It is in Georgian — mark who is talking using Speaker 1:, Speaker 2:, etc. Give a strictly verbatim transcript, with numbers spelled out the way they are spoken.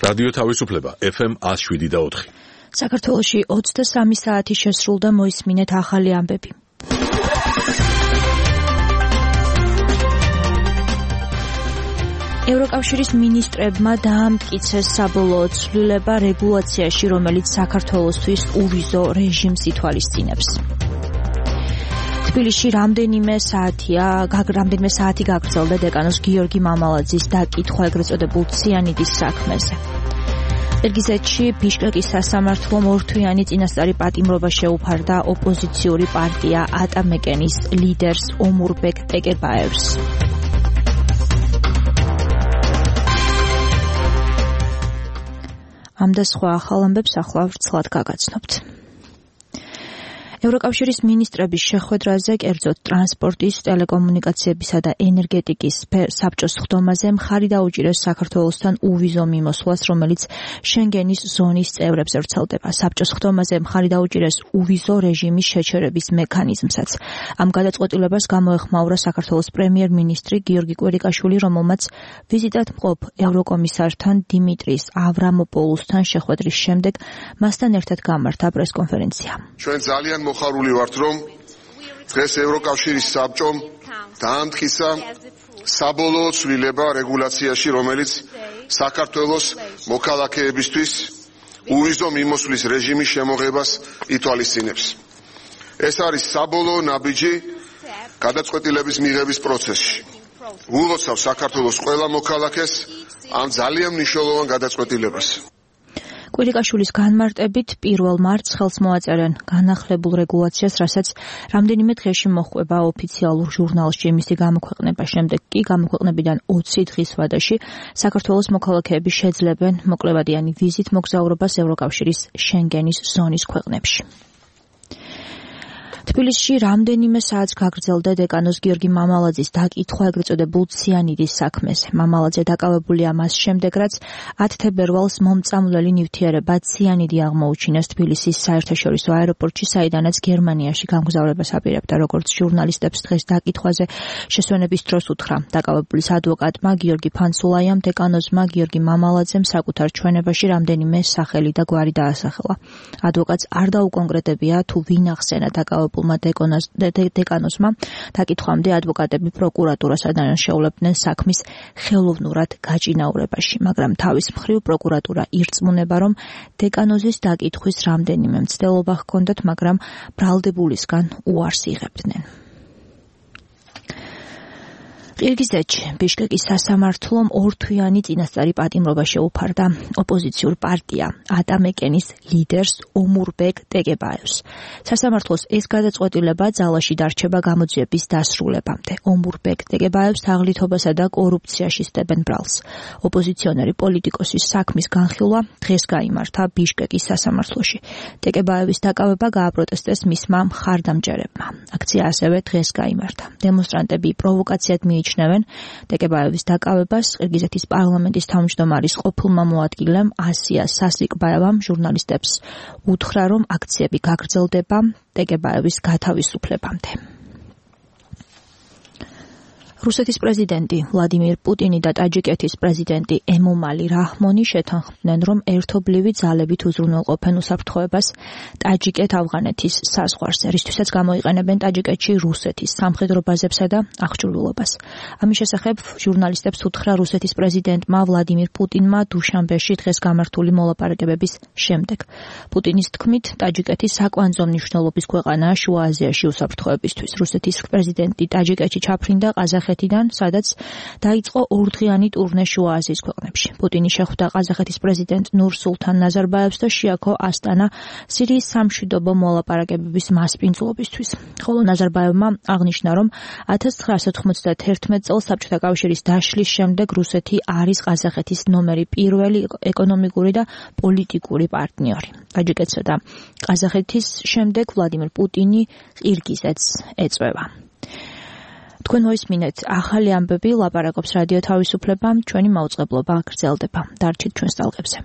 Speaker 1: რადიო თავისუფლება ეფ ემ one oh seven და four.
Speaker 2: საქართველოში ოცდასამი საათი შესრულდა, მოისმინეთ ახალი ამბები. ევროკავშირის მინისტრებმა დაამტკიცეს საბოლოო ცვლილება რეგულაციაში, რომელიც საქართველოსთვის უვიზო რეჟიმს ითვალისწინებს. თბილისში რამდენიმე საათია, რამდენიმე საათი გაგრძელდა დეკანოს გიორგი მამალაძის დაკითხვა ეგრეთ წოდებულ ციანიდის საქმეზე. ყირგიზეთში ბიშკეკის სასამართლომ ორთვიანი წინასწარი პატიმრობა შეუფარდა ოპოზიციური პარტია ატამეკენის ლიდერს ომურბეკ ტეკებაევს. ამ და სხვა ახალ ამბებს ახლა ვრცლად გაგაცნობთ. ევროკავშირის მინისტრების შეხვედრაზე, კერძოდ ტრანსპორტის, ტელეკომუნიკაციებისა და ენერგეტიკის საბჭოს ხდომაზე მხარი დაუჭირეს საქართველოსთან უვიზო მიმოსვლას, რომელიც შენგენის ზონის წევრებს ვრცელდება. საბჭოს ხდომაზე მხარი დაუჭირეს უვიზო რეჟიმის შეჩერების მექანიზმსაც. ამ გადაწყვეტილებას გამოეხმაურა საქართველოს პრემიერ-მინისტრი გიორგი კვირიკაშვილი, რომელმაც ვიზიტად მყოფ ევროკომისართან დიმიტრის ავრამოპოულუსთან შეხვედრის შემდეგ მასთან ერთად გამართა პრესკონფერენცია.
Speaker 3: ჩვენ ძალიან მოხარული ვართ, რომ დღეს ევროკავშირის საბჭომ დაამტკიცა საბოლოო ცვლილება რეგულაციაში, რომელიც საქართველოს მოქალაქეებისთვის უვიზო მიმოსვლის რეჟიმის შემოღებას ითვალისწინებს. ეს არის საბოლოო ნაბიჯი გადაწყვეტილების მიღების პროცესში. ულოცავ საქართველოს ყველა მოქალაქეს ამ ძალიან მნიშვნელოვან გადაწყვეტილებას.
Speaker 2: კვირიკაშვილის განმარტებით პირველ მარტს ხელს მოაწერენ განახლებულ რეგულაციას, რასაც რამდენიმე დღეში მოჰყვება ოფიციალურ ჟურნალში მისი გამოქვეყნება. შემდეგ კი გამოქვეყნებიდან ოცი დღის ვადაში საქართველოს მოქალაქეები შეძლებენ მოკლებადიანი ვიზით მოგზაურობას ევროკავშირის შენგენის ზონის ქვეყნებში. თბილისში რამდენიმე საათს გაგრძელდა დეკანოს გიორგი მამალაძის დაკითხვა ეგრეთ წოდებულ ციანიდის საქმეზე. მამალაძე დაკავებულია მას შემდეგ, რაც ათი თებერვალს მომწამლელი ნივთიერება ციანიდი აღმოუჩინეს თბილისის საერთაშორისო აეროპორტში, საიდანაც გერმანიაში გამგზავრებას აპირებდა. როგორც ჟურნალისტებს დღეს დაკითხვაზე შესვენების დროს უთხრა დაკავებულის ადვოკატმა გიორგი ფანცულაიამ, დეკანოზმა გიორგი მამალაძემ საკუთარ ჩვენებაში რამდენიმე სახელი და გვარი დაასახელა. ადვოკატს არ დაუკონკრეტებია თუ ვინ ახსენა დაკავებულ დეკანოზმა. დაკითხვამდე ადვოკატები პროკურატურას ადანაშაულებდნენ საქმის ხელოვნურად გაჭინაურებაში, მაგრამ თავის მხრივ პროკურატურა ირწმუნება, რომ დეკანოზის დაკითხვის რამდენიმე მცდელობა ჰქონდათ, მაგრამ ბრალდებულისგან უარს იღებდნენ. ყირგიზეთში ბიშკეკის სასამართლომ ორთვიანი წინასწარი პატიმრობა შეუფარდა ოპოზიციურ პარტია ატამეკენის ლიდერს ომურბეკ ტეკებაევს. სასამართლოს ეს გადაწყვეტილება ძალაში დარჩება გამოძიების დასრულებამდე. ომურბეკ ტეკებაევს თაღლითობასა და კორუფციაში სდებენ ბრალს. ოპოზიციონერი პოლიტიკოსის საქმის განხილვა დღეს გაიმართა ბიშკეკის სასამართლოში. ტეკებაევის დაკავება გააპროტესტეს მისმა მხარდამჭერებმა. აქცია ასევე დღეს გაიმართა. დემონსტრანტები პროვოკაციად მიიჩნევენ ტეკებაევის დაკავებას. ყირგიზეთის პარლამენტის თავმჯდომარის ყოფილმა მოადგილემ ასია სასიკბაევამ ჟურნალისტებს უთხრა, რომ აქციები გაგრძელდება ტეკებაევის გათავისუფლებამდე. რუსეთის პრეზიდენტი ვლადიმირ პუტინი და ტაჯიკეთის პრეზიდენტი ემომალი რაჰმონი შეთანხმდნენ, რომ ერთობლივი ძალებით უზრუნველყოფენ უსაფრთხოებას ტაჯიკეთ-ავღანეთის საზღვარზე, რისთვისაც გამოიყენებენ ტაჯიკეთში რუსეთის სამხედრო ბაზებსა და აღჭურვილობას. ამის შესახებ ჟურნალისტებს უთხრა რუსეთის პრეზიდენტმა ვლადიმირ პუტინმა დუშანბეში დღეს გამართული მოლაპარაკებების შემდეგ. პუტინის თქმით, ტაჯიკეთი საკვანძო მნიშვნელობის ქვეყანაა შუა აზიაში უსაფრთხოებისთვის. რუსეთის პრეზიდენტი ტაჯიკეთში ჩაფრინდა ყაზახეთიდან, სადაც დაიწყო ორდღიანი ტურნე შუა აზიის ქვეყნებში. პუტინი შეხვდა ყაზახეთის პრეზიდენტ ნურ-სულთან ნაზარბაევს და შეაქო ასტანა სირიის სამშვიდობო მოლაპარაკებების მასპინძლობისთვის. ხოლო ნაზარბაევმა აღნიშნა, რომ ათას ცხრაასა თხმოცდაათი წელს საბჭოთა კავშირის დაშლის შემდეგ რუსეთი არის ყაზახეთის ნომერი პირველი ეკონომიკური და პოლიტიკური პარტნიორი. ტაჯიკეთსა და ყაზახეთის შემდეგ ვლადიმირ პუტინი ყირგიზეთს ეწვევა. თქვენ მოისმინეთ ახალი ამბები, ლაპარაკობს რადიო თავისუფლება, ჩვენი მაუწყებლობა გრძელდება. დარჩით ჩვენს ტალღებზე.